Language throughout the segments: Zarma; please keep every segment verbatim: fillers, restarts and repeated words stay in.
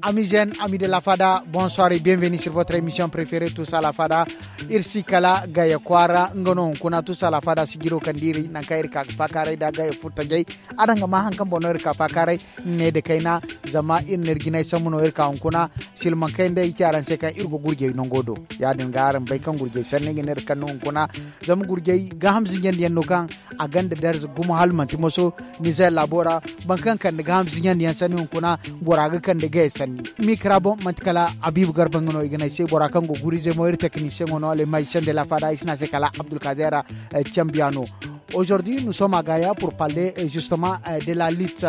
Amis jeunes, amis de la fada, bonsoir et bienvenue sur votre émission préférée, Tous à la fada. Iri si kala Gaya kwaara, nga no hunkuna Tous à la fada sijiro kaŋ da iri, nangu kaŋ iri ka ga faakaaray nda Gaya furtajey. Araŋ ga ma haŋ kaŋ boŋ no iri ka faakaaray, ne nda kayna, zama iri n'iri jinay sambu no iri ka hunkuna. Silmaŋ kayna day i ci araŋ se kaŋ iri go gurjey nango do. Ya-din ga araŋ bay kaŋ gurjey sanni ga ne iri kaŋ no hunkuna. Zama gurjey gaaham zinjandiyaŋ no kaŋ a gonda darza gumo hala manti moso. Nizer laabo ra, boro kaŋ kande gaaham zinjandiyaŋ sanni hunkuna, bora ga kande Gaya sanni. Mikra boŋ manti kala Habibu Garba nga no i ga ne ay se, bora kaŋ go gurize mo iri teknisiyeŋo no, les magiciens de la fada, i si ne a se kala Abdulkader, eh, Cambiano. Aujourd'hui, nous sommes à Gaya pour parler, euh, justement, euh, de la lutte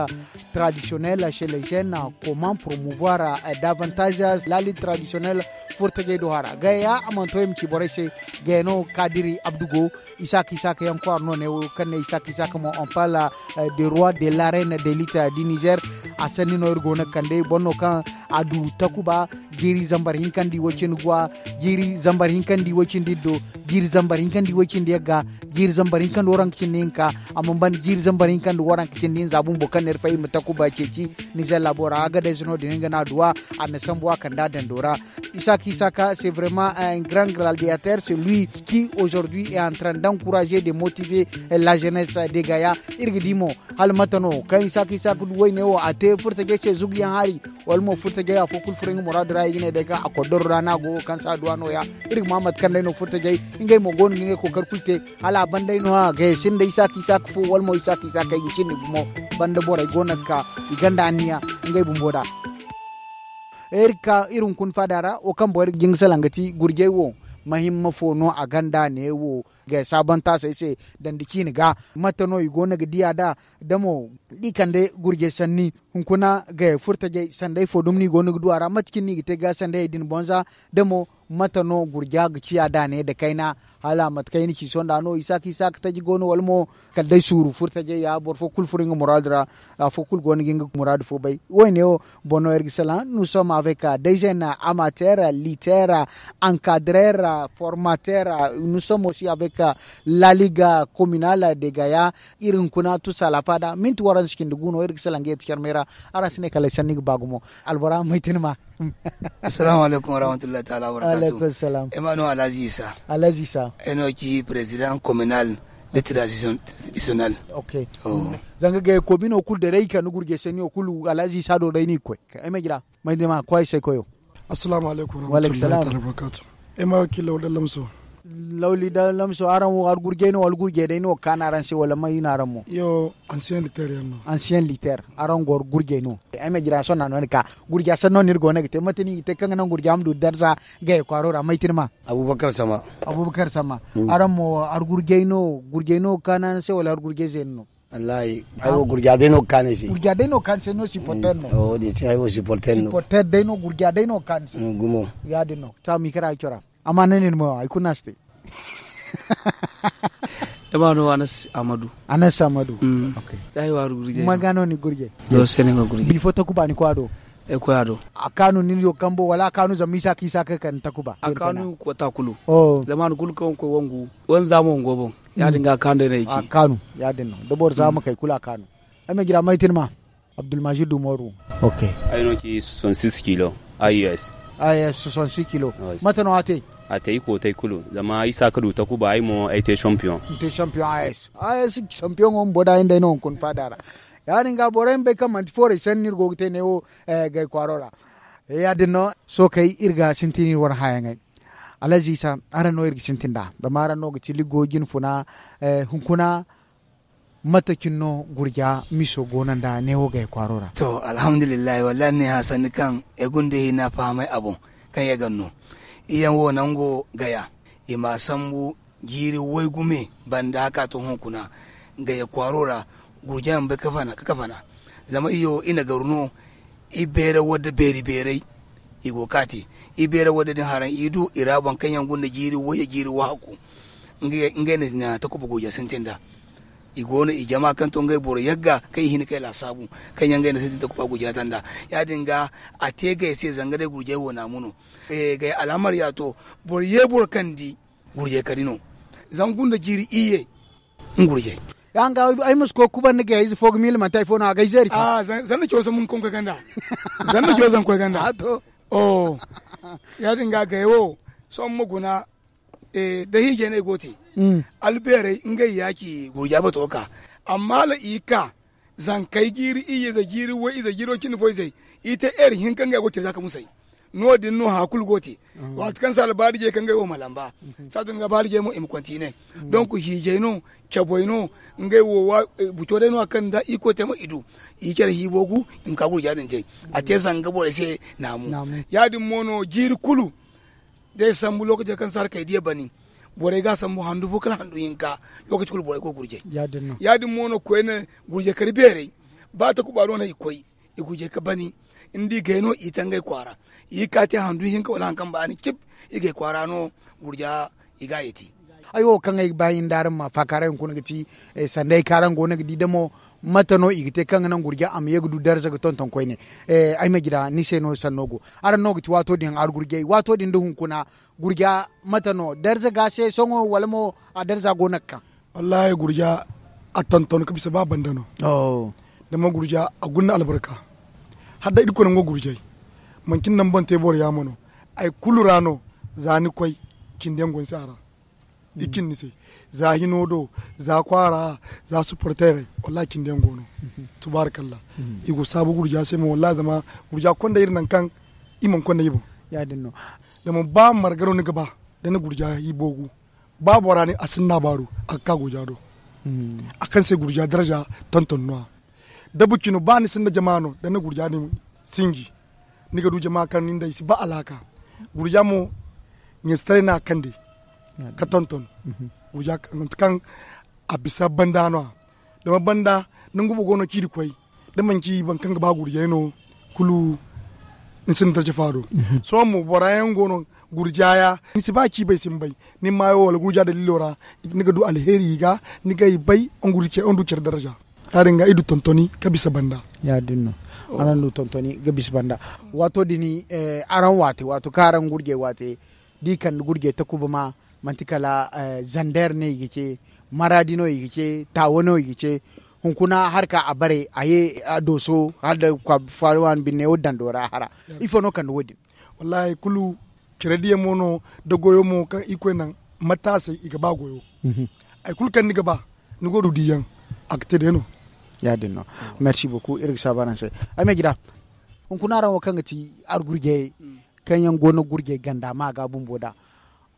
traditionnelle chez les jeunes. Comment promouvoir, euh, davantage la lutte traditionnelle furtajey do hara? Gaya, a mana to i ma ci borey se, Gaya no Kadiri Abdu go, Isaka Isaka yaŋ kwaara no ne wo, kaŋ ne Isaka Isaka mo, on parle, euh, de roi de l'arène de lutte du Niger. A sanni no iri go no ga kande, boro no kaŋ a du takuba, jiiri zambar hinka nda i way cindi guwa, jiiri zambar hinka nda i way cindi iddo, jiiri zambar hinka nda i way cindi yagga, jiiri zambar hinka nda waranka cindi hinka, amma ban jiiri zambar hinka nda waranka cindi hinza bumbo kaŋ n'iri fay i ma takuba ceeci. Nizer laabo ra, Agadez no din nga no a duwa, a na sambu a kand'a dando ra. Isaka Isaka, c'est vraiment un grand gladiateur, c'est lui qui aujourd'hui est en train d'encourager, de motiver, euh, la jeunesse de Gaya. Iri ga di mo, hala mate no kaŋ Isaka Isaka du wayne wo, a te furtajey se zuguyaŋ hari, wala mo furtajey afo kulu furo nga muraadu ra, i ga ne day kaŋ a koddoro ra no a go, kaŋ se a du a nooya. Iri ga ma mate kaŋ day no furtajey, ngey mo go no ga ngey kookari kulu te, hala a ban day no-ya Gaya sinda Isaka Isaka fo, wala mo Isaka Isaka i ga cindi gumo. Banda borey go no ga ka, i gonda anniya ngey bumbo da. Iri ka iri hunkuna faada ra, wo kaŋ boro ga jin ga salaŋ ga ti gurjey wo, mahimma fo no a gonda ne wo, Gaya saabantaasey se, dandi ciine ga. Mate no i go no ga diya nd'a? Da mo, da i kande gurjey sanni, hunkuna Gaya furtajey sanday fo dumi no i go no ga du a ra? Mate cine no i ga te ga sandayey din boŋ za? Da mo, mate no gurja ga ciya da ne nda kayna? Hala mate kaŋ i na ci sohõ nd'a no, Isaka Isaka taji go no, wala mo kala day suuru furtajey ya, boro fo kulu furo nga muraadu ra, afo kulu go no ga nga muraadu fo bay. Wo-ne wo, boŋ no iri ga salaŋ, nous sommes avec, euh, des jeunes amateurs, lutteurs, encadreurs, formateurs, nous sommes aussi avec, euh, la ligue communale de Gaya. Iri hunkuna Tous à la fada, minti waranza cindi gu no iri ga salaŋ ga yeeti carmey ra. Araŋ si ne kala ay sanni ga ba gumo. Albora, ma ay tin ma. Assalamu alaikum warahmatullahi ta'ala wabarakatuh. Alaikum salam. Ay ma no Alhaji Isa. Alhaji Isa. Ay no ci président communal de tradition traditionnel. Ok. Oh. Zanga ga ko bino kulu da ray kan gurje sani o kulu Alhaji Isa do day ni koy. Ay ma jira. May de ma koy sai koyo. Assalamu alaikum warahmatullahi ta'ala wabarakatuh. Ay ma kilo da lamso. Lawli da lamso, araŋ wo har gurjey no, wala gurjey day no kaana araŋ se, wala may no araŋ mo? Yo, ancien lutteur yaŋ no. Ancien lutteur, araŋ go har gurjey no. Ay ma jira sohõ no ni ka gurja sanno no iri go no ga te, mate no i ga te kaŋ ga naŋ gurja ma du darza Gaya kwaaro ra, may tin ma? Abubakar Sama. Abubakar Sama. Araŋ mo har gurjey no, gurjey no kaana araŋ se, wala har gurjey zeeno no? Wallahi, ay wo gurja day no ga kaanu ay se. Gurja day no ga kaanu ay se, no supporter no. Wo-din se ay wo supporter no. Supporter day no, gurja day no ga kaanu ay se. Gumo. Ya-din no. Sa mi kara ay cora. Amma ne nin mo ay kuna si te. Ay ma no Anas Amadu. Anas Amadu. Ok. Ay wa gurje. Maga no ni gurje. Do sene nga gurje. Bifo takuba ni kwa do. E koya do. A kaanu nin yo kambo, wala a kaanu zama isa ka isa ka kan takuba? A kaanu ko takulu. Oh. Zama ni kulu kan ko wangu. Wan zama wango bon. Ya-din ga kaanu day no ay ci. A kaanu, ya-din no. Da boro zama kay kulu a kaanu. Ay ma jira may tin ma. Abdulmajid Umaru. Ok. Ay no ci soixante-six kilo. A U S. A U S soixante-six kilo. Mate no a te? A te i kootay kulu. Zama isa ka du takuba, ay mo ay te champion. Ni te champion A U S. A U S champion wo bumbo da ay nda ay no hunkuna faada ra. Ya-din ga borey ma bay kaŋ manti foorey sanni no iri go ga te neewo, eh, Gay kwaaro ra. Ya-din no, sookey iri ga sintin iri wane hayaŋey. Alhaji Isa, araŋ no iri ga sintin nd'a. Zama araŋ no ga ti ligo jine funa, eh, hunkuna, mate cine no gurja miso goono nda neewo Gaya kwaaro ra? To, alhamdulillahi, wallahi ni ne hã sanni kaŋ ay guna da hina fahamay a boŋ, kaŋ ye ga no. Iyaŋ wo nango Gaya, i ma sambu jiiri waygume banda ka to hunkuna Gaya kwaaro ra, gurja ma bay ka fana, ka fana. Zama iyo, i na garu no, i beera wadda beeri beeray, i go ga kaati. I beera wadda din haraŋ, i du i ra boŋ kaŋ yaŋ guna jiiri way, jiiri wahakku. Ngey, ngey na takuba gurja sintin nd'a. I go no, i jama kaŋ to ngey boro yagga, kaŋ i hin kay laasaabu, kaŋ yaŋ ngey na sintin takuba gurja tanda. Ya-din ga, a te Gaya se zanga day gurjey wo naamu no. Eh, Gaya alhamar ya to, boro ye boro kaŋ di gurjey kari no. Zangu nda jiiri iyye, nga gurjey. Ga hanga ay ma si koy kuban ni gayey ize fo ga miila manti hari fo no a ga ay zeeri fa. Zanna cawsa mun koy ganda. Zanna cawsa koy ganda. Oh. Ya- din ga gayey wo. Sohõ ma guna. Da hiijay no ay go te. Albeerey ngey ya ci gurja bato ga ka. Amma hala i ga ka zankey jiiri iyye ize jiiri way ize jiiri way cindi fo izey, i te heeri hinka ngey go care za ka musay. No- din no haya kulu go te. Waati kaŋ se albaari jey kaŋ ngey wo ma lamba. Saatu din ga baari jey mo i ma kontine. Donk hiijay no, cabay no. Ngey wo buco day no a kaŋ da i koy te mo i du. I care hiibo gu i ma ka gurja din jay. A te zanga borey se naamu. Ya- din mo no jiiri kulu. Da ay sambu lokaco kaŋ se harakey diya bani, borey ga a sambu handu fo kala handu hinka. Lokaci kulu borey go gurjay. Ya- din mo no koyne gurjay kar beerey. Ba takuba no no i koy, i gurjay ka bani. Ni di gay no i tangay kwaara. I ga ka te handu hinka wala hari kaŋ ba ni cib. I gay kwaara no gurja i ga a yeti. Ay wo kaŋ ay ga ba i nda araŋ ma faakaaray hunkuna ga ti sanda ay kaŋ araŋ go no ga di damo. Mate no i ga te kaŋ ga naŋ gurja a ma ye ga du darza ga tonton koyne? Ay ma jira ni se no sanno go. Araŋ no ga ti waato din argurjay waato din da hunkuna gurja mate no darza ga se sohõ wala mo a darza go no ga ka? Wallaahi gurja a tonton ka bisa ba banda no. Zama gurja a guna albarka. Hala day irkoy nango gurjay manci ni naŋ boŋ te boro yaamo no. Hari kulu ra no za ni koy cindi yaŋ go ni se a ra. I cin ni se za hino do, za kwaara, za supporterey. Wallaahi cindi yaŋ go no. Tubaarikalla. I go saabu gurja se mo wallaahi zama gurja konda iri nangu kaŋ i mana konda i boŋ. Zama ba marga no ni ga ba da ni gurja i boogu. Ba bora ne a sinda baaru a ga ka gurja do. A kaŋ se gurja daraja tonton no- ya. Da bucino ba ni sinda jama no da ni gurja din sinji. Ni ga du jama kaŋ nin da i si ba alaaka. Gurja mo ɲeesitaray no a kande ka tonton. Gurja kaŋ a bisa banda no- ya. Zama banda nangu boŋ go no ciiri koy da manci boro kaŋ ga ba gurjay no. Kulu ni sinda jafa do. Sohõ mo bora yaŋ go no gurja ya ni si ba ciibay si ni bay. Ni maayo wala gurja daliilo ra ni ga du alheeri i ga. Ni ga i bay. Wongu du care daraja. Ya- din ga i du tontoni ka bisa banda. Ya- din no. Araŋ du tontoni ga bisa banda. Waato din araŋ waate waato kaŋ araŋ gurjay waate da i kande gurjay takuba ma manti kala zander no i ga ce, maraadi no i ga ce, taawa no i ga ce. Hunkuna harka a bare a ye a dooso hala da kwaaba faari waani binne wo dando ra a hara. Ifo no kande wo- din? Wallaahi hari kulu care diya mo no da goyo mo kaŋ i koy naŋ mataasey i ga ba goyo. Hari kulu kaŋ ni ga ba ni go du diyaŋ a ga te day no. Ya- din no. Merci beaucoup iri ga saabu araŋ se. Ay ma jira hunkuna araŋ wo kaŋ ga ti argurjayey kaŋ yaŋ go no gurjay ganda ma ga bumbo da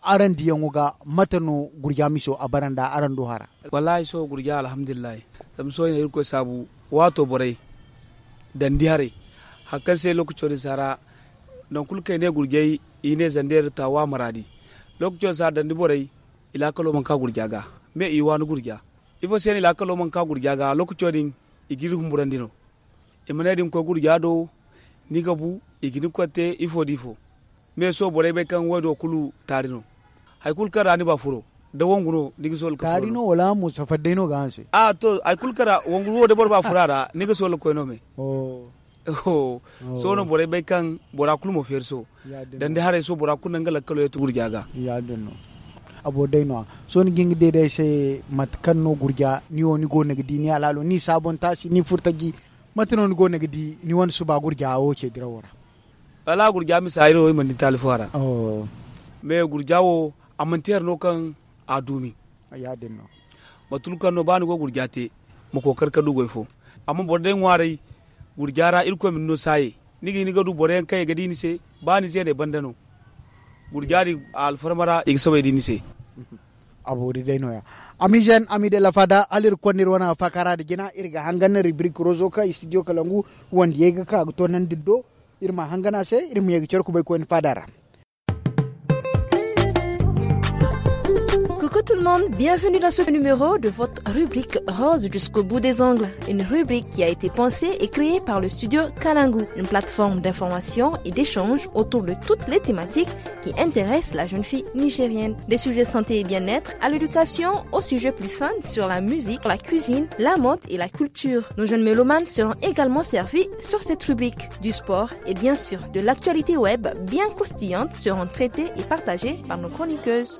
araŋ diyaŋo ga mate no gurja miso a bara nda araŋ do hara? Wallaahi sohõ gurja alhamdulillahi. Zama sohõ i na irkoy saabu waato borey dandi haray. Hari kaŋ se lookaco din si hara nangu kulu kaŋ i ne gurjay i ne zandeer taawa maraadi. Lookaco din si hara dandi borey i laakalo mana ka gurja ga. Me i waani gurja ifo se no i laakalo mana ka gurja ga lookaco din i ga iri humburandi no. I ma ne da ni koy gurja do ni ga bu i ga ni koy te ifo da ifo. Me sohõ borey bay kaŋ wo- din wo kulu taari no. Hari kulu kaŋ ra ni ba furo da wangu no ni ga sohõ ga furo taari no wala mo safari day no ga haŋ se. A to hari kulu kaŋ ra wangu wo da boro ba furo a ra ni ga sohõ ga koy no me. Sohõ no borey bay kaŋ bora kulu ma feeri sohõ. Dandi haray sohõ bora kulu naŋ ga lakkalo yeeti gurja ga. A boro day no- ya. Sohõ ni ga hin ga deede ay se mate kaŋ no gurja ni wo ni go no ga di ni alaalo ni saabontaasi ni furtaji? Mate no ni go no ga di ni wane suba gurja wo ce dirawo ra? Wala gurja misa ay no i mana di taali fo a ra. Me gurja wo a manti hari no kaŋ a duumi. Mate kulu kaŋ no ba ni go gurja te ma kookari ka du goy fo. Amma boro day ŋwaaray gurja ra irkoy ma ni no saaye. Ni ga hin ga du boro yaŋ kaŋ i ga di ni se ba ni zeeney banda no. Gurja din alfarma ra i ga soobay di ni se. A boori day no- ya. Ami zen ami de la fada hala iri konda iri wane faakaara da jina iri ga hangan rubrique rozo kaŋ studio kalangu wandiyey ga ka ga toonandi do. Iri ma hangan a se iri ma ye ga care kubay koyne faada ra. Coucou tout le monde, bienvenue dans ce numéro de votre rubrique rose jusqu'au bout des ongles. Une rubrique qui a été pensée et créée par le studio Kalangu, une plateforme d'information et d'échange autour de toutes les thématiques qui intéressent la jeune fille nigérienne. Des sujets santé et bien-être à l'éducation, aux sujets plus fun sur la musique, la cuisine, la mode et la culture. Nos jeunes mélomanes seront également servis sur cette rubrique. Du sport et bien sûr de l'actualité web bien croustillante seront traitées et partagées par nos chroniqueuses.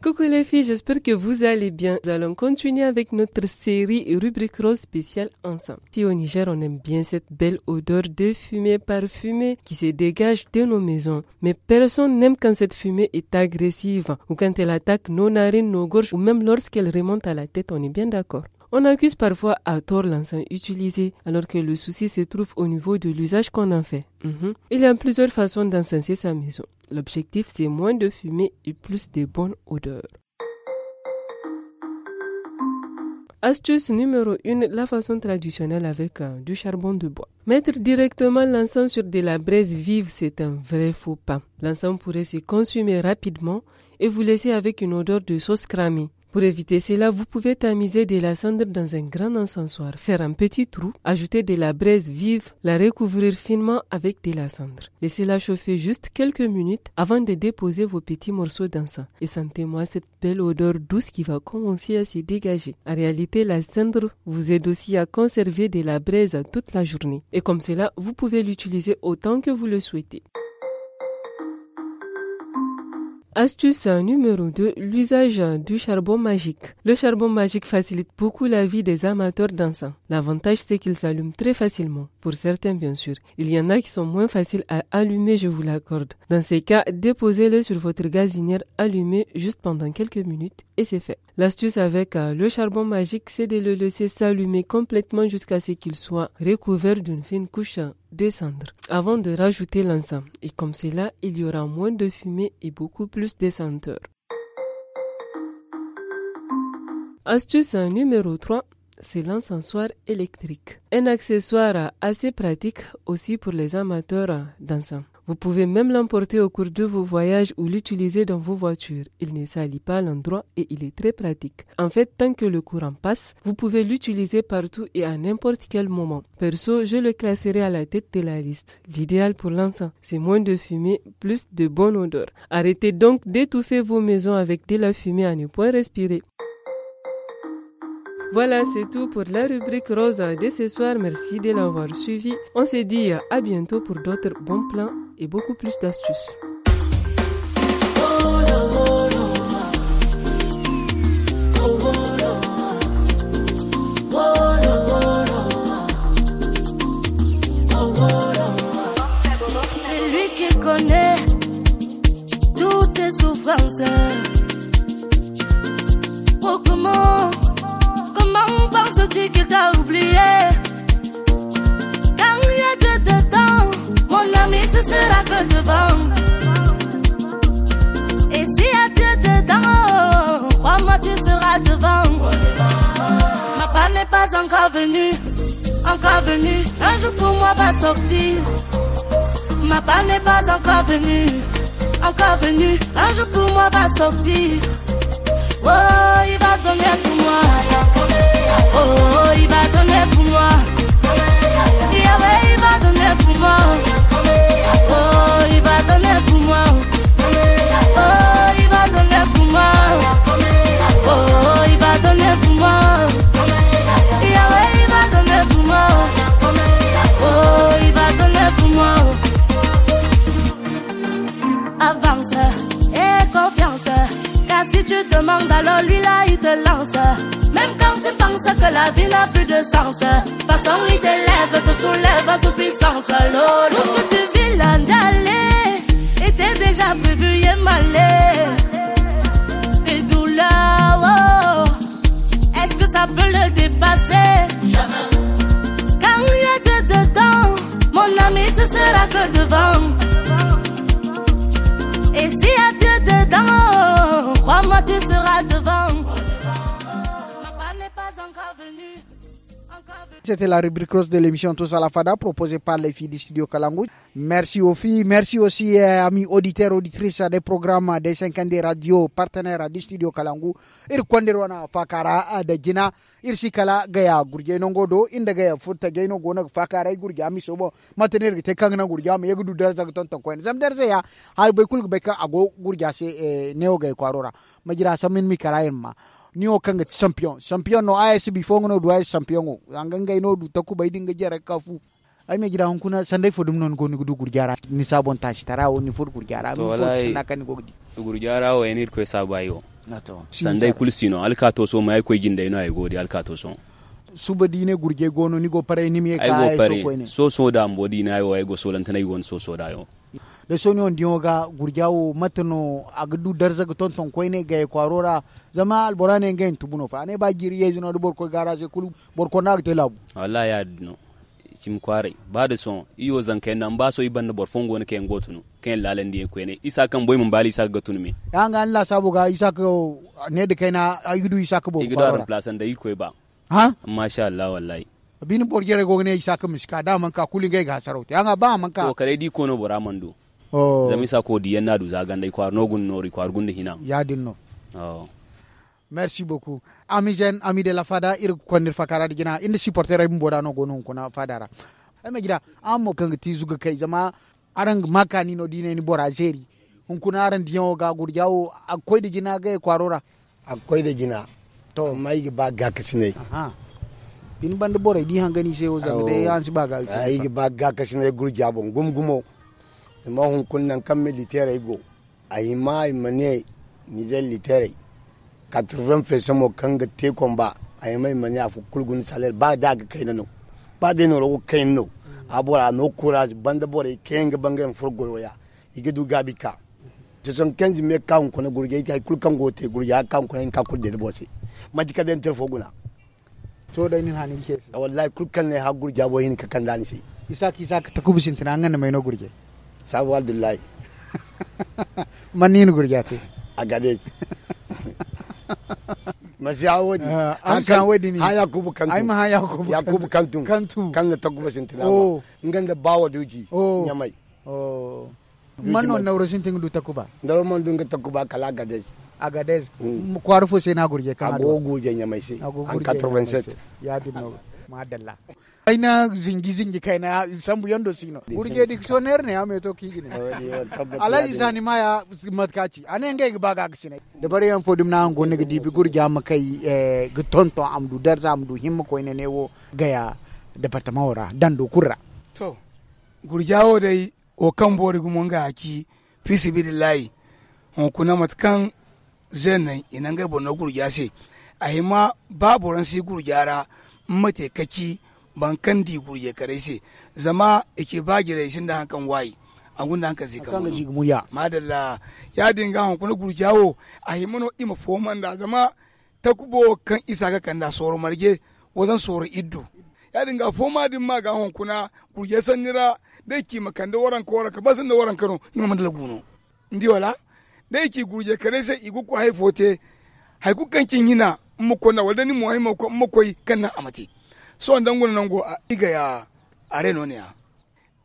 Coucou les filles, j'espère que vous allez bien. Nous allons continuer avec notre série et rubrique rose spéciale ensemble. Si au Niger, on aime bien cette belle odeur de fumée parfumée qui se dégage de nos maisons, mais personne n'aime quand cette fumée est agressive ou quand elle attaque nos narines, nos gorges ou même lorsqu'elle remonte à la tête, on est bien d'accord. On accuse parfois à tort l'encens utilisé, alors que le souci se trouve au niveau de l'usage qu'on en fait. Mhm. Il y a plusieurs façons d'encenser sa maison. L'objectif, c'est moins de fumée et plus de bonne odeur. Astuce numéro un, la façon traditionnelle avec, euh, du charbon de bois. Mettre directement l'encens sur de la braise vive, c'est un vrai faux pas. L'encens pourrait se consumer rapidement et vous laisser avec une odeur de sauce cramée. Pour éviter cela, vous pouvez tamiser de la cendre dans un grand encensoir, faire un petit trou, ajouter de la braise vive, la recouvrir finement avec de la cendre. Laissez-la chauffer juste quelques minutes avant de déposer vos petits morceaux d'encens. Et sentez-moi cette belle odeur douce qui va commencer à se dégager. En réalité, la cendre vous aide aussi à conserver de la braise toute la journée. Et comme cela, vous pouvez l'utiliser autant que vous le souhaitez. Astuce numéro deux, l'usage du charbon magique. Le charbon magique facilite beaucoup la vie des amateurs d'encens. L'avantage, c'est qu'il s'allume très facilement, pour certains bien sûr. Il y en a qui sont moins faciles à allumer, je vous l'accorde. Dans ces cas, déposez-le sur votre gazinière allumée juste pendant quelques minutes et c'est fait. L'astuce avec, euh, le charbon magique, c'est de le laisser s'allumer complètement jusqu'à ce qu'il soit recouvert d'une fine couche de cendre avant de rajouter l'encens. Et comme cela, il y aura moins de fumée et beaucoup plus de senteur. Astuce numéro trois, c'est l'encensoir électrique. Un accessoire assez pratique aussi pour les amateurs d'encens. Vous pouvez même l'emporter au cours de vos voyages ou l'utiliser dans vos voitures. Il ne salit pas l'endroit et il est très pratique. En fait, tant que le courant passe, vous pouvez l'utiliser partout et à n'importe quel moment. Perso, je le classerai à la tête de la liste. L'idéal pour l'encens, c'est moins de fumée, plus de bonne odeur. Arrêtez donc d'étouffer vos maisons avec de la fumée à ne point respirer. Voilà, c'est tout pour la rubrique rose de ce soir. Merci de l'avoir suivi. On se dit à bientôt pour d'autres bons plans et beaucoup plus d'astuces. C'est lui qui connaît toutes tes souffrances. Oh, comment, comment penses-tu qu'il t'a oublié? Quand il y a Dieu dedans, mon ami, tu seras que devant. Et s'il y a Dieu dedans, crois-moi, tu seras devant. Ma part n'est pas encore venue, encore venue. Un jour pour moi va sortir. Ma part n'est pas encore venue, encore venue. Un jour pour moi va sortir. Oh, il va donner pour moi. Oh, il va donner pour moi. Yahweh, il va donner pour moi. Oh, il va donner pour moi. Oh, il va donner pour moi. Oh, il va donner pour moi. Yahweh, il va donner pour moi. Oh, il va donner pour moi. Avance et confiance. Car si tu demandes, alors lui là, il te lance. Même quand tu penses que la vie n'a plus de sens, façon il t'élève, te soulève en toute puissance. Lolo. Tout ce que tu vis là, Ndjale, était déjà prévu et malé. Tes douleurs, oh, est-ce que ça peut le dépasser? Jamais. Quand il y a Dieu dedans, mon ami, tu seras que devant. Et s'il y a Dieu dedans, crois-moi, tu seras devant. Ma part n'est pas encore venue. Encore venue. C'était la rubrique rose de l'émission Tous à la Fada, proposée par les filles du studio Kalangu. Merci aux filles, merci aussi, euh, amis auditeurs, auditrices des programmes des cinquante-deux radios partenaires du studio Kalangu. Ir kondir wana fakara, euh, da jina. Ir si kala gaya gurjey nango do, inda gaya furta jey no go no ga faakaaray gurja miso boŋ. Mate no ir ga te kaŋ ga naŋ gurja ma ye ga du darza ga tonton koyne. Zama darza ya, hari bay kulu ga bay kaŋ a go gurja se, eh, neewo gay kwaaro ra. Ma jira sambu ni ma kara ir ma. Ni wo kaŋ ga ti champion. Champion no, A S bifo nga no du A S champion wo. Zanga ngey no du takubay din ga jare ga ka fu. Ay me jira hunkuna sanday fo dumi no ni go ni ga du gurja ra ni saabon taasi tara wo ni furo gurja ra ni furo sanda kaŋ ni go ga di. Gurja ra wo yaŋ no irkoy saabu ay wo. Sanday kulu si no alkaato sohõ ma ay koy jindey no ay go ga di alkaato sohõ. Suba da i ne gurjey go no ni go paray ni ma ye ka ay go paray. Sohõ da ambo da i ne ay wo ay go soolante no ay go no sohõ da yo. Da sohõ ni wo ni diyaŋo ga gurja wo mate no a ga du darza ga tonton koyne gayey kwaaro ra? Zama albora ne ngey na tubu no fa a ne ba jiiri yeeze no da boro koy gaara se kulu boro konda a ga te laabu. Wallahi ya- din no. Cimi kwaaray ba da sohõ i wo zankey nda amma ba sohõ i banda boro fooyaŋ go no kaŋ yaŋ go tunu kaŋ yaŋ laalandiyaŋ koyne isa kaŋ boy mana baali isa ga ga tunu me. Ya hanga ni laasaabo ga isa ka ne da kayna ay ga du isa ka boobo ga du a ramplasan da irkoy ba. Masha Allah wallahi. Bine boro jarey go ga ne isa ka ma si ka da a mana ka kulu ngey ga hasaraw te ya hanga ba a mana ka. To kala ay di koono bora mana du. Zama isa ko diyaŋ no a du za ganda i kwaara no gunda nooru i kwaara gunda hina. Ya- din no. Merci beaucoup. Ami zen ami de la fada iri ga konda iri fakaara da jina iri nda siporteerey bumbo da no go no hunkuna faada ra. Ay ma jira araŋ mo kaŋ ga ti zuga kay zama araŋ ga ma kaani no da i ne ni bora zeeri. Hunkuna araŋ diyaŋo ga gurja wo a ga koy nda jina gayey kwaaro ra. A ga koy nda jina. To amma i ga ba gaakasinay. Bine banda borey da i hangani se wo zama day araŋ si ba gaakasinay. Ay ga ba gaakasinay gurja boŋ gumo gumo. Zama hunkuna nangu kaŋ militeerey go a hima i ma ne nizer liteerey. Katarven feesa mo kaŋ ga te komba a hima i ma ne afo kulu guna saleer ba da a ga kayna no. Ba day nooro go ga kayna no. A bora no kuraaz banda borey kaŋ yaŋ ga ba ngey ma furo goyo ya i ga du gaabi ka. Soson kenzi me ga ka hunkuna gurjay te hari kulu kaŋ go ga te gurjay a ga ka hunkuna i na ka kulu deede boro se. Manti kala day ni telefo guna. To day ni na haani ga ce se. Wallahi kulu kaŋ na ay hã gurja boro hinka kanda ni se. Isaaka isaaka takuba sintina nga nda may no gurjay? Saabu abdullahi. Man ni na gurja te? Agades. Masi hã wo- din. Hã yakubu kantu. Yakubu kantu. Kaŋ na takuba sintina. Nga nda baawo duuji ɲamay. Man no nawro sintin ga du takuba? Nawro mana du nga takuba kala agades. Agades. Kwaara fo se no a gurjay kaŋ a go ga gurjay ɲamay se. An quatre-vingt-sept. Ya- din no. Madalla. Ay na zinji zinji kayna sambu yando si no gurjay dictionnaire ne a me to kaŋ i ga ne. Alhaji sani maya. Mate kaŋ a ci a ne ngey ga ba ga ga sinay. Dabari yaŋ fo dumi no araŋ go no ga diibi gurja ma kay ga tonton a ma du darza a ma du himma koyne ne wo gaya. Departamaŋo ra dando kulu ra. To gurja wo day wo kaŋ boori gumo nga a ci. Fi sabilillahi. Hunkuna mate kaŋ zeeney i na ngey boro no gurja se. A hima ba boro ni si gurja ra. Ni ma te kaci boro kaŋ di gurjay karay se. Zama i ci ba jirey sinda hari kaŋ waayi a gunda hari kaŋ se kambe no. Madalla. Ya- din ga hunkuna gurja wo a hima no i ma fooma nd'a zama takubo kaŋ isa ga kand'a sooro marje. Wazan sooro iddu. Ya- din ga fooma da ni ma ga hunkuna gurjay sanni ra. Da i ci i ma kande waranka waranka ba sinda waranka no i ma mandala gu no. Ni di wala? Da i ci gurjay kanay se i ga koy hari fo te. Hari kulu kaŋ ci ni hina ni ma koy nd'a wala da ni mo hari ma koy kaŋ naŋ a ma te. Sohõ da nga no nango i ga ya. Are no ne ya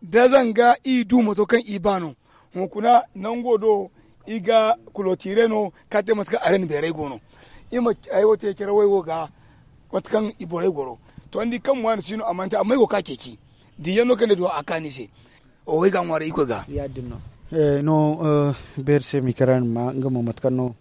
da zanga i du mato kaŋ i ba no. Hunkuna nango do i ga kulotire no ka te mate kaŋ are na beeray go no. I ma hayo te care way wo ga mate kaŋ i borey goro. To ni di kaŋ mo a na si no a mana te amma i go ka ceeci. Diyaŋ no kaŋ ni duwa a kaani se. Oho ay ga a ŋwaaray irkoy ga. Ya- din no. No beeri se mikaraani ma nga mo mate kaŋ no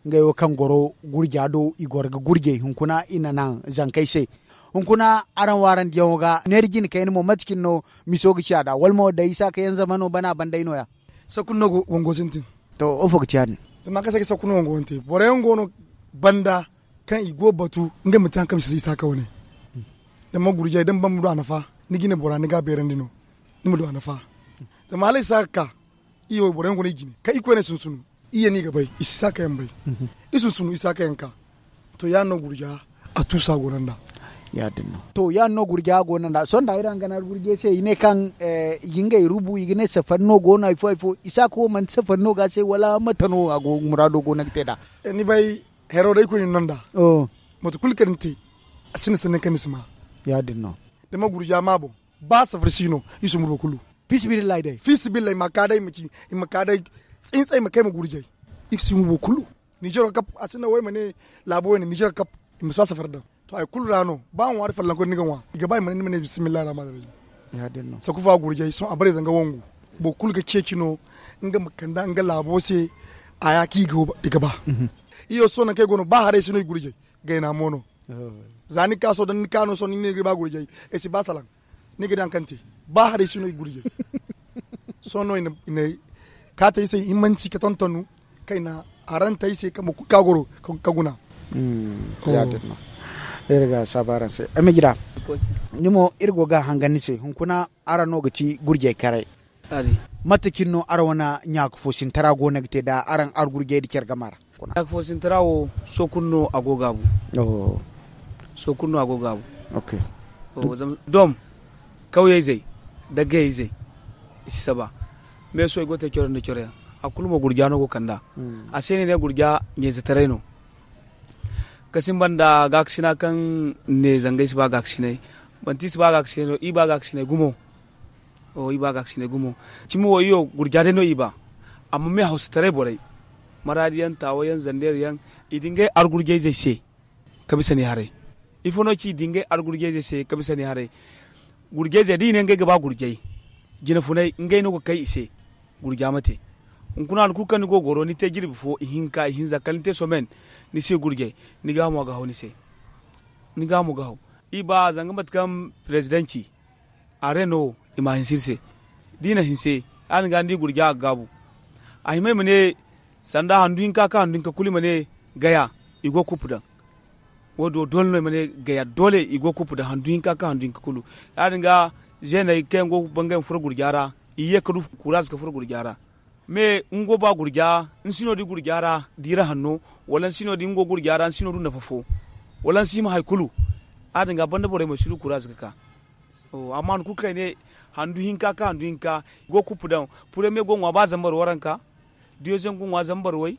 ngey wo kaŋ goro gurja do i goro ga gurjay hunkuna i na naŋ zankey se. Hunkuna araŋ wo araŋ diyaŋo ga neera jine kayna mo mate cine no miso ga ci a da wala mo day isa ka yaŋ zama no bana banday no- ya? Sakku no wango sintin. To wo fo ga ci ya- din? Zama kaŋ se ga sakku no wango wante boro yaŋ go no banda kaŋ i go batu ngey ma te hari kaŋ bisa isa ka wane. Da ma gurjay da ma ban ma du a nafa ni ga ne bora ni ga a beerandi no. Ni ma du a nafa. Zama hala isa ka ka i wo boro yaŋ go no i jine kaŋ i koyne sunsunu. I ya no i ga bay i si isa ka yaŋ bay. I sunsunu isa ka yaŋ ka. To ya- din no gurja a tuusa go no nd'a. Ya- din no. To ya- din no gurja go no nd'a sohõ da iri haŋ gana gurjay se i ne kaŋ i ga ngey rubu i ga ne safari no go no hari fo hari fo isa ka wo manti safari no ga se wala mate no a go muraado go no ga te nd'a? Ni bay hero day koy ni no nd'a. Mate kulu kaŋ ni te a sinda sanni kaŋ ni si ma. Ya- din no. Da ma gurja ma boŋ ba safari si no i sumbu boro kulu. Fi sabilillahi day fi sabilillahi ma ka day ma ci i ma ka day tsintsay ma kay ma gurjay. I ga sumbu boro kulu. Nizer ga kap a sinda wo i ma ne laabo wo i na nizer ga kap. I ma si ba safari daŋ. To hari kulu ra no ba ŋwaari fallanko ni ga ŋwa i ga ba i ma ne ni ma ne bisimillahi rahmani rahim. Sakufa gurjay sohõ a bare zanga wangu. Boro kulu ga ceeci no nga ma kanda nga laabo se. A ya kaŋ i ga ba. Iyo sohõ nangu kaŋ ay go no ba haray si no i gurjay. Gayna mo no. Za ni ka sohõ da ni ka no sohõ ni ne ni ga ba gurjay ay si ba salaŋ. Ni ga di hari kaŋ te. ba haray si no i gurjey. Sohõ no i na kaata i se himmanci ka tontonu kayna, haranta i se kambe kulu ka goro ka guna. Ya- din no. Iri ga saabu araŋ se ay ma jira. Ni mo iri go ga a hangan ni se hunkuna, araŋ no ga ti gurjey karay. Mate cine no araŋ wane ɲaaka foosintara go no ga te nda araŋ argurjey nda care gama ra? Ɲaaka foosintara wo sohõ kulu no a go gaabu. Sohõ kulu no a go gaabu. Dom kawyey zey, daggayey zey, i si saba. Me sohõ i go ga te coro nda coro yaŋ. A kulu mo gurja no go kand'a. A se no i ne gurja ɲayzetaray no. Kasin banda gaakasinay kaŋ ne zangey si ba gaakasinay. Manti i si ba gaakasinay no i ba gaakasinay gumo. Cimi wo iyo gurja day no i ba. Amma me hawsataray borey, maraadi yaŋ taawa yaŋ zandeer yaŋ, i di ngey argurjayzey se ka bisa ni haray. Ifo no ci i di ngey argurjayzey se ka bisa ni haray? Gurjayzey da i ne ngey ga ba gurjay, jinafunay ngey no ga kay i se. Gurja ma te. Hunkuna hari kulu kaŋ ni go ga goro ni te jirbi fo ihinka ihinza kala ni te somen, ni si gurjay, ni gaahamo ga haw ni se. Ni gaahamo ga haw. I ba zanga mate kaŋ perezidanci a re no i ma a hinse iri se. Da i na hinse, ya- din ga ni di gurja a ga gaabu. A hima i ma ne sanda handu hinka ka handu hinka kulu i ma ne gaya, i go ga kuppu daŋ. Wo- din wo doole no i ma ne gaya doole i go ga kuppu daŋ handu hinka ka handu hinka kulu. Ya- din ga zeeney kaŋ yaŋ go ga bangay ma furo gurja ra, i ye ka du kuraaze ka furo gurja ra. Me nga go ba gurja, ni si no di gurja ra diira hanno, wala ni si no di nga go gurja ra ni si no du nafa fo, wala ni si hima hari kulu. Ya- din ga banda borey mo i si du kuraaze ga ka. Amma hari kulu kaŋ ay ne handu hinka ka handu hinka, i go ga kuppu daŋ. Puremiye go ga ŋwa ba zambar waranka, diyeziyeŋ go ga ŋwa zambar way,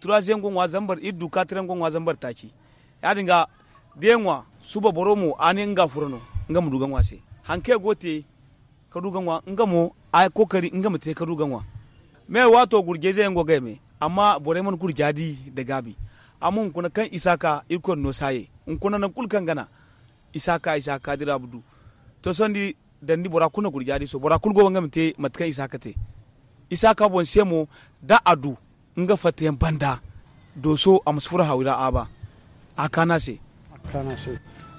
turaaziyeŋ go ga ŋwa zambar iddu, kaatireŋ go ga ŋwa zambar taaci. Ya- din ga da ya ŋwa, suba boro mo a ne nga furo no, nga ma du ga ŋwa se. Hari kaŋ ya go ga te ka du ga ŋwa nga mo, a kookari nga ma te ka du ga ŋwa. Me waato gurjayze yaŋ go ga ya me, amma borey mana gurja di nda gaabi. Amma hunkuna kaŋ isa ka irkoy na no saayey, hunkuna nangu kulu kaŋ gana isa ka isa ka dira ma du. To sohõ ni di, dandi bora kulu na gurja di sohõ bora kulu go ga nga ma te mate kaŋ isa ka te. Isa ka boŋ se mo, da a du nga fattayaŋ banda, dooso a ma si furo hawi ra a ba. A kaanu a se.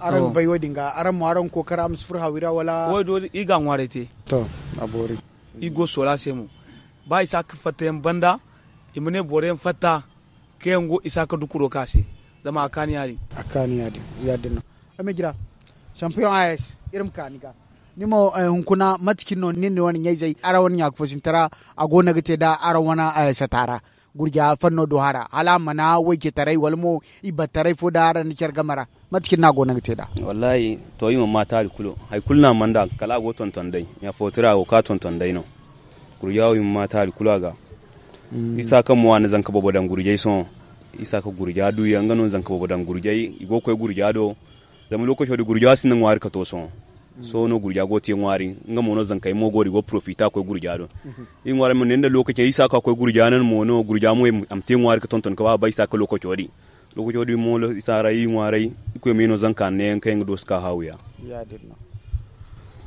Araŋ ga bay wo- din ga araŋ mo araŋ ga kookara a ma si furo hawi ra wala? Wo- din i ga a ŋwaaray te. To, a boori. I go ga soola se mo. Ba isa ka fattayaŋ banda, i ma ne boro yaŋ fatta kaŋ yaŋ go isa ka dukuro ka se. Zama a kaanu ya- din. A kaanu ya- din ya- din no. Ay ma jira, sampiyoŋ a s iri ma ka ni ga. Ni mo hunkuna mate cine no nin ni wane ɲayzey araŋ wane ɲaaka foosintara, a go no ga te nda araŋ wane sata ra? Gurja fanno do hara hala a mana waycetaray wala mo ibattaray fo da araŋ na care game ra? Mate cine no a go no ga te nd'a? Wallaahi, to i mana ma taali kulu hari kulu no a mana nd'a kala a go ga tonton day. Ɲaafo tira a go ga ka tonton day no. Gurja wo i mana ma taali kulu a ga. Isa kaŋ mo a na zanka boobo daŋ gurjay sohõ. Isa ka gurja du yaŋ nga no zanka boobo daŋ gurjay i go ga koy gurja do. Zama lookaco din gurja sinda ŋwaari ka to sohõ. Sohõ no gurja go ga te ŋwaari. Nga mo no zankey mo go din i go ga porofita koy gurja do. I ŋwaari ma ne nda lookacey isa ka koy gurja no mo no gurja mo a ma te ŋwaari ka tonton ka ba a bay isa ka lookaco din. Lookaco din mo isa ra i ŋwaaray. Irkoy ma i no zanka ne yaŋ kaŋ yaŋ ga doosi ka haawiya.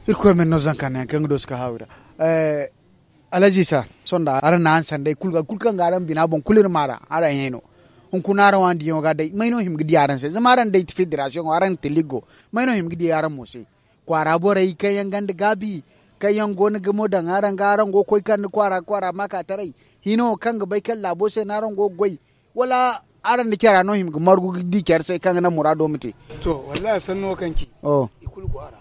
Irkoy ma i no zanka ne yaŋ kaŋ yaŋ ga doosi ka haawiya. Alhazi isa, sonda araŋ na araŋ sanday kulu ga kulu kaŋ ga araŋ bina boŋ kulu iri ma ra araŋ hẽ no. Hunkuna araŋ wane diyaŋo ga day may no hima ga di araŋ se zama araŋ day ti federasiyoŋo araŋ ti liggo. May no hima ga di araŋ mo se? Kwaara borey kaŋ yaŋ ganda gaabi, kaŋ yaŋ go no ga mo daŋ araŋ ga araŋ go ga koy kande kwaara kwaara maakaataray, hino kaŋ ga bay kaŋ laabo se no araŋ go ga goy? Wala araŋ nda cara no hima ga margu ga di care se kaŋ ga naŋ muraado ma te? To, wallahi sanno kaŋ ci i kulu go a ra.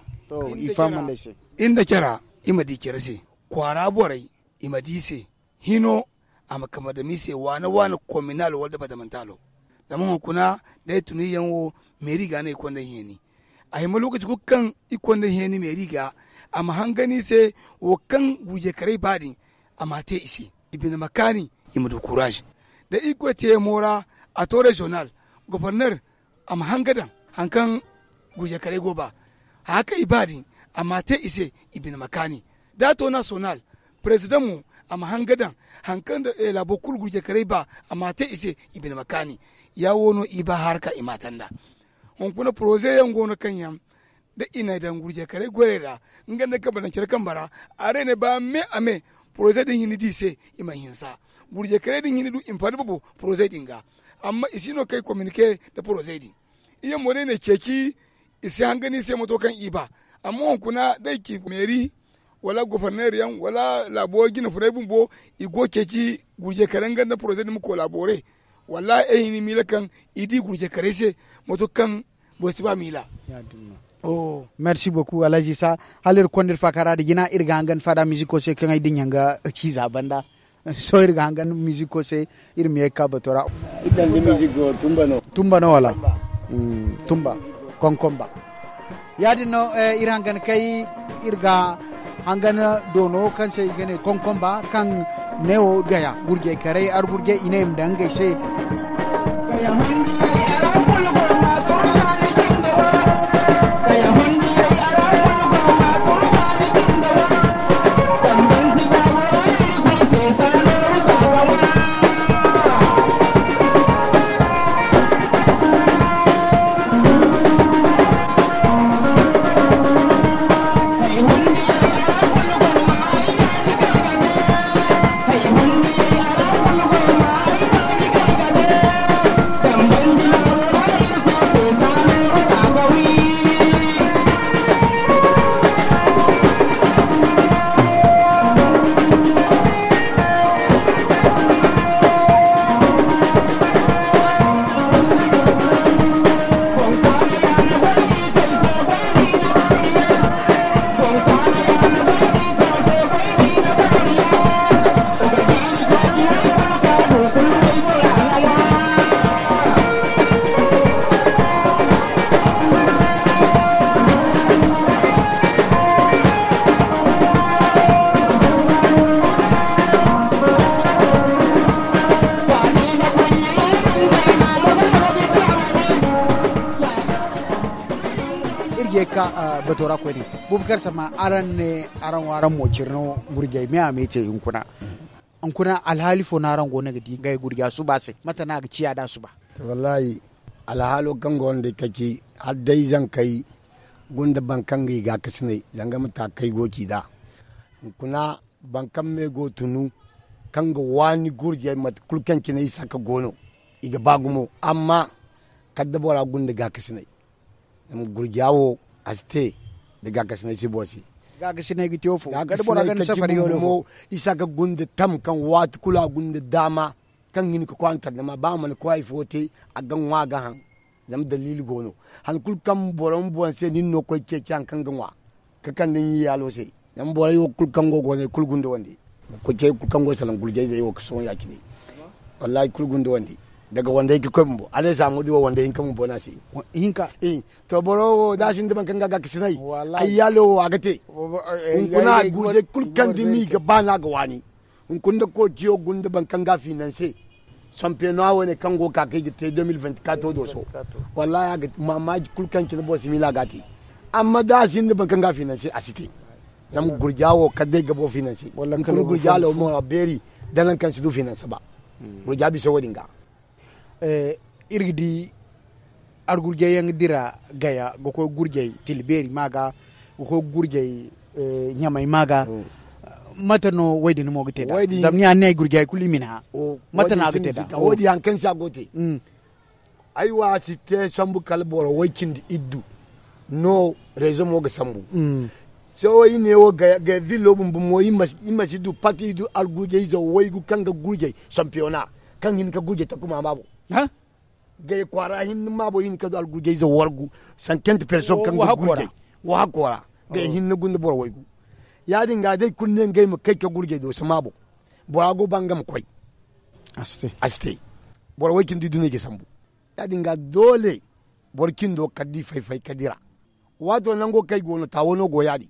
Iri nda cara i ma di care se. Kwaara borey i ma di se. Hino a ma kama dama i se waana waana kominal wala dabatamantalo. Zama hunkuna da ay tun iri yaŋ wo meeri ga no ay konda ay heeni. A hima lookaci kulu kaŋ iri konda ay heeni meeri ga, a ma hangan i se wo kaŋ gurjekaray ba din, a m'a te i se. I bine ma kaani, i ma du kuraaz. Da irkoy te yaŋ mo ra, a to reziyonal, goforner, a ma hanga daŋ hari kaŋ gurjekaray go ba. Haya kaŋ i ba din, a m'a te i se, i bine ma kaani. Da a to nasiyonal, perezidaŋ mo, a ma hanga daŋ hari kaŋ laabo kulu gurjekaray ba, a m'a te i se, i bine ma kaani. Ya wo no i ba haraka i m'a tanda. Hunkuna poroze yaŋ go no kaŋ yaŋ da i na daŋ gurjekaray goyey ra, nga nda kambe daŋ care kambe ra, a ra i ne ba me a me, poroze din hinne di i se, i mana hinsa. Gurjekaray din hinne du i ma fari babo poroze din ga. Amma i si no kay kominike nda poroze din. Iyyaŋ mo day ne ceeci, i si hangan i se moto kaŋ i ba. Amma hunkuna da ay ci meeri, wala goforneer yaŋ wala laabo jine funay bumbo, i go ceeci gurjey karay nga nda poroze din ma koolabore. Wallahi ay hini miila kaŋ i di gurjey karay se, mato kaŋ boro si ba miila. Merci beaucoup alhaji isa. Hala iri konda iri faakara da jina iri ga hangan faada miziko se kaŋ ay dinya nga ciiza banda. Sohõ iri ga hangan miziko se, iri ma ye ga ka bato ra. Tumba no wala? Tumba konkomba. Ya- din no iri hangan kay iri ga hangan doono kaŋ se i ga ne konkomba kaŋ ne wo gaya gurjey karay argurjey i ne i ma daŋ ngey se. Iri ga ye ga ka bato ra koyne. Bubakar sama araŋ ne araŋ wo araŋ mo cire no gurjey me a me te hunkuna. Hunkuna alhaali fo no araŋ go no ga di ngey gurja suba se mate no a ga ciya da suba? Wallahi, alhaalo kaŋ go no day kaci hala day zankey gunda boro kaŋ ga i gaakasinay zanga mate a kaŋ ay go ga ci nd'a. Hunkuna boro kaŋ me go tunu kaŋ ga waani gurjey mate kulu kaŋ cine isa ka go no i ga ba gumo. Amma kala da bora gunda gaakasinay. Zama gurja wo a si te da gaakasinay si boro se. Gaakasinay ga te wo fo kala da bora ganda safari yo no fo. Isa ka gunda tam kaŋ waati kulu a gunda daama kaŋ hin ka koy a na tandama ba a mana koy hari fo te a ga ŋwa a ga haŋ. Zama daliili go no. Han kulu kaŋ boro ma boŋ se nin no koy ceeci haŋ kaŋ ga ŋwa ka kande ni yaalo se. Zama borey wo kulu kaŋ go go ne kulu gunda wande. Koy ceeci kulu kaŋ go salaŋ gurjayzey wo ga sohõ ya- cine. Wallahi kulu gunda wande daga wande hinka koy bumbo a ne saamo di wo wande hinka bumbo no a se. Hinka. To boro wo da a sinda boro kaŋ ga a gaakasinay ay yaalo wo a ga te. Hunkuna gurjay kulu kaŋ da ni ga ba no a ga waani. Hunkuna da koociyo gunda boro kaŋ ga a finanse. Sampiyoŋa wo ne kaŋ go ga ka kaŋ i ga te deux mille vingt-quatre do so. Wallahi a ga maamaaji kulu kaŋ cine boro si miila ga a te. Amma da a sinda boro kaŋ ga a finanse a si te. Zama gurja wo kala day ga boro finanse. Hunkuna gurja law mo a beeri da nangu kaŋ si du finanse ba. Gurja bisa wo- din ga. Iri ga di argurjay yaŋ ga dira gaya ga koy gurjay tilbeeri ma ga ga koy gurjay ɲamay ma ga. Mate no wo- din mo ga te nd'a zama ni ya ni ne ay gurjay kulu i ma ni hã. Mate no a ga te nd'a wo- din hari kaŋ se a go ga te. Ay wo a si te sambu kala boro way cindi iddu no rezo mo ga sambu. Sohõ i ne wo gaya villo bumbo mo i ma si du pati i du algurjayze waygu kaŋ ga gurjay sampiyoŋa kaŋ hin ka gurjay takuma maabo. Gaya kwaara hinne maabo i hin ka du algurjayze wargu sankante person kaŋ ga gurjay. Wo hakko ra gaya hinne gunda boro waygu. Ya- din ga day kulu ne ngey ma kay ka gurjay do si maabo. Bora go ba nga ma koy a si te. Boro way cindi iddu no i ga sambu. Ya- din ga doole boro cindo kala da i fay-fay ka dira. Waato nango kaŋ ay go no taawo no go ya- din.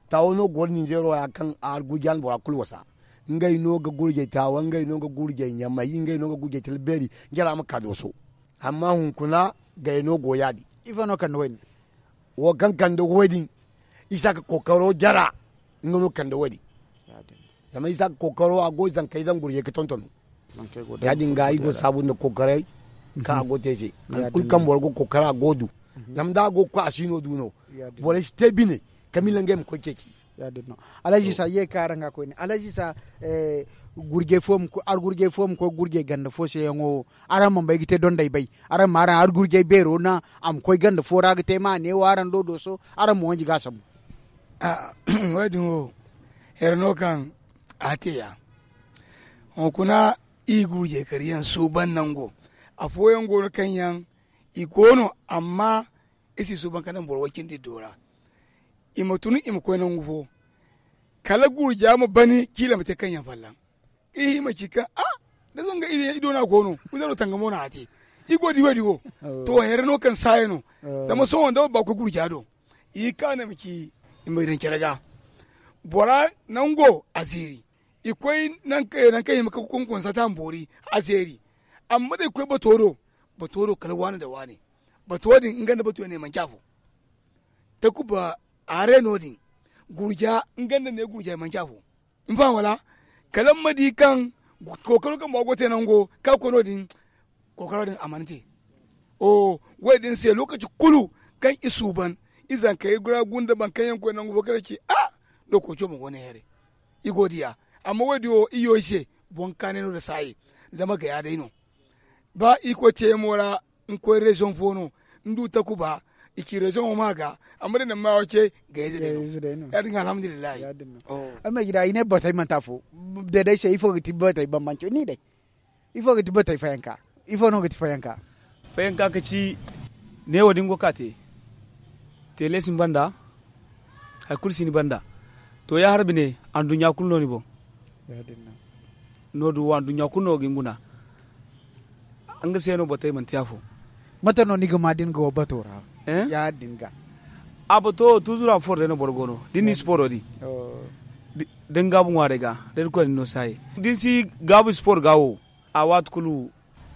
Taawo no go ninzeero ya kaŋ a argurjay na bora kulu wasa. Ngey no ga gurjay taawo ngey no ga gurjay ɲamay ngey no ga gurjay talbeeri. Jara ma ka dooso. Amma hunkuna gaya no go ya- din. Ifo no kande wo- din? Wo kaŋ kande wo- din isa ka kookaro jara. Nga no kande wo- din. Zama isa ka kookaro a go zankey daŋ gurjay ga tonton. Ya- din ga i go saabu nda kookaray kaŋ a go te se hari kulu kaŋ boro ga kookara a go du. Zama da a go ga koy a si no du no. Borey si te bine ka miila ngey ma koy ceeci. Alhaji isa ye ga ka araŋ ga koyne alhaji isa. Argurjay fo ma koy gurjay ganda fo se yaŋo wo araŋ mana bay ga te donday bay. Araŋ ma araŋ argurjay beero naŋ a ma koy ganda fo ra ga te ma a ne wo araŋ do dooso araŋ ma wanji ga a sambu. Wo- din wo Here no kaŋ a te ya. Hunkuna i gurjay kariyaŋ suuban nango. Afooyaŋ go no kaŋ yaŋ i go no, amma i si suuban ka naŋ boro way cindi do ra. I ma tun i ma koy nangu fo, kala gurja ma bani ciila ma te kaŋ yaŋ fallaŋ. I ma ci kaŋ a da zanga i do no a go no. Wizaro tangamo no a te. I go di wo di wo. To here no kaŋ saaye no. Zama sohõ da wabba koy gurja do, i kaana ma ci i ma daŋ care ga. Bora nango a zeeri. I koy nangu kaŋ i ma ka kunkunsa ta ma boori a zeeri. Amma da i koy bato do, bato do kala waani nda waani. Bato din nga nda bato ne manci afo. Takuba hare no- din. Gurja nga nda ne gurja manci afo. Ni faham wala? Kala ni ma di kaŋ kookaro kaŋ bora go ga te nango kaŋ a koy no- din. Kookaro din a mana te. Wo- din se lokaci kulu kaŋ i suuban, i zankey ra gunda boro kaŋ yaŋ koy nangu fo kala ci a, dokoco boŋ go no here. I go diya. Amma wo- din wo i yo i se boŋ kaanay no nda saaye. Zama gaya day no. Ba i koy teemo ra, ni koy reziyoŋ fo no, ni du takuba, i ci reziyoŋo ma ga. Amma da ni ma wo ce gayze day no. Ya- din ga alhamdulillahi. Ay ma gida i ne batey manti afo. Day day se ifo ga ti batey bambanco ni day? Ifo ga ti batey fayanka? Ifo no ga ti fayanka? Fayanka ka ci ne wo- din go ka te. Tele si ni banda. Hari kulu si ni banda. To ya harbi ne anduɲɲa kulu no ni boŋ. No- din wo anduɲɲa kulu no ga ni guna. Nga se no batey manti afo. Mate no ni ga ma da ni ga wo bato ra? Ya- din ga. A bato wo tuzura foro day no boro go no da ni na siporo di. Da ni gaabu ŋwaaray ga da ni koy ni no saaye da ni si gaabu siporo ga wo. A waati kulu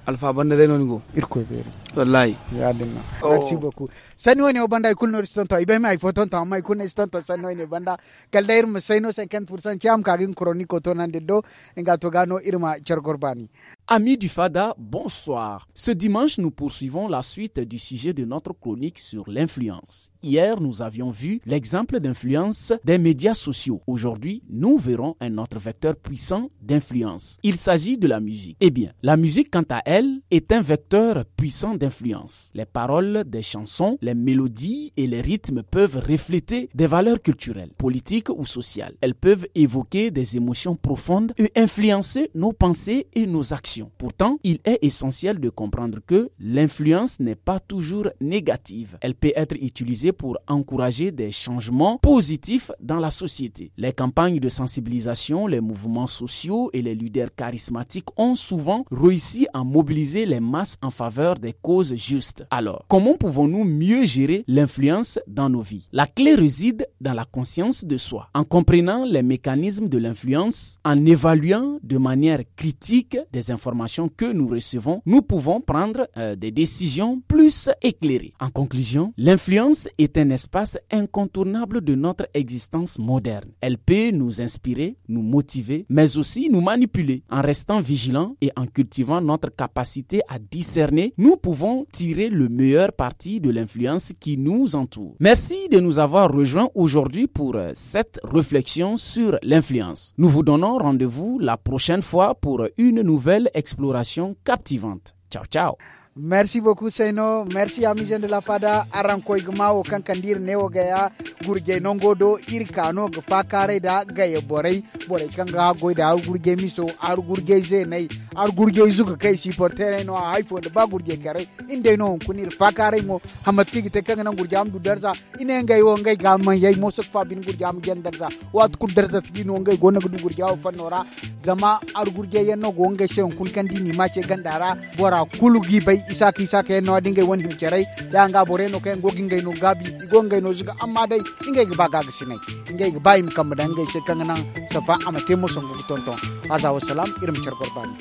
alfa banda day no ni go. Irkoy beeri. Wallahi. Ya- din no. Merci beaucoup. Sanni wo- ne wo banda i kulu no iri si tonton i bay ma hari fo tonton amma i kulu no iri si tonton sanni wo- ne banda. Kala day iri ma say no cinquante pour cent ci a ma ka ga nga koroniko toonandi iri do. Nga to ga no iri ma care goro baani. Amis du Fada, bonsoir. Ce dimanche, nous poursuivons la suite du sujet de notre chronique sur l'influence. Hier, nous avions vu l'exemple d'influence des médias sociaux. Aujourd'hui, nous verrons un autre vecteur puissant d'influence. Il s'agit de la musique. Eh bien, la musique, quant à elle, est un vecteur puissant d'influence. Les paroles des chansons, les mélodies et les rythmes peuvent refléter des valeurs culturelles, politiques ou sociales. Elles peuvent évoquer des émotions profondes et influencer nos pensées et nos actions. Pourtant, il est essentiel de comprendre que l'influence n'est pas toujours négative. Elle peut être utilisée pour encourager des changements positifs dans la société. Les campagnes de sensibilisation, les mouvements sociaux et les leaders charismatiques ont souvent réussi à mobiliser les masses en faveur des causes justes. Alors, comment pouvons-nous mieux gérer l'influence dans nos vies ? La clé réside dans la conscience de soi. En comprenant les mécanismes de l'influence, en évaluant de manière critique des informations que nous recevons, nous pouvons prendre, euh, des décisions plus éclairées. En conclusion, l'influence est un espace incontournable de notre existence moderne. Elle peut nous inspirer, nous motiver, mais aussi nous manipuler. En restant vigilants et en cultivant notre capacité à discerner, nous pouvons tirer le meilleur parti de l'influence qui nous entoure. Merci de nous avoir rejoints aujourd'hui pour, euh, cette réflexion sur l'influence. Nous vous donnons rendez-vous la prochaine fois pour une nouvelle exploration captivante. Ciao, ciao. Merci beaucoup, Seyno. Merci, amis jeunes de la Fada. Araŋ koy ga ma wo kaŋ kande iri ne wo gaya gurjey nango do. Iri ka no ga faakaaray da gaya borey, borey kaŋ ga goy da aru gurjey miso, aru gurjey zeeney, aru gurjey zuga kay siporterey no a hay fo nda ba gurjey karay. Iri day no hunkuna iri faakaaray mo. Hammat kaŋ i ga te kaŋ ga naŋ gurja ma du darza. I ne ngey wo ngey ga ma yay mooso ga fa bine gurja ma janda darza. Waati kulu darza si di no ngey go no ga du gurja wo fanno ra. Zama argurjey yaŋ no go ngey se hunkuna kaŋ da i n'i ma ce ganda ra. Bora kulu g'i bay isaaka isaaka yaŋ no a da ngey wane hima caray. Ya nga borey no kaŋ yaŋ go ga ngey no gaabi i go ga ngey no zuga amma day ngey ga ba gaagasinay. Ngey ga ba i ma kambe daŋ ngey se kaŋ ga naŋ safa a ma te mo sangu ga tonton. Haza wasalaam. Iri ma care goro baani.